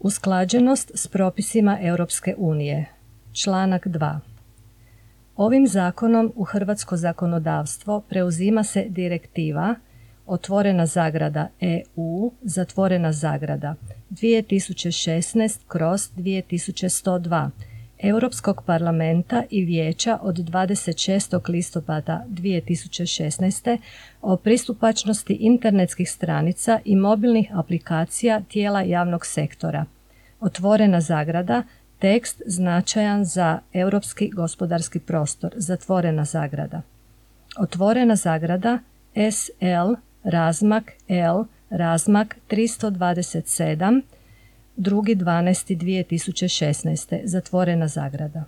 Usklađenost s propisima Europske unije. Članak 2. Ovim zakonom u hrvatsko zakonodavstvo preuzima se direktiva otvorena zagrada EU zatvorena zagrada 2016/2102 Europskog parlamenta i Vijeća od 26. listopada 2016. o pristupačnosti internetskih stranica i mobilnih aplikacija tijela javnog sektora. Otvorena zagrada, tekst značajan za europski gospodarski prostor, zatvorena zagrada. Otvorena zagrada, SL, razmak L, razmak 327, 2.12.2016. zatvorena zagrada.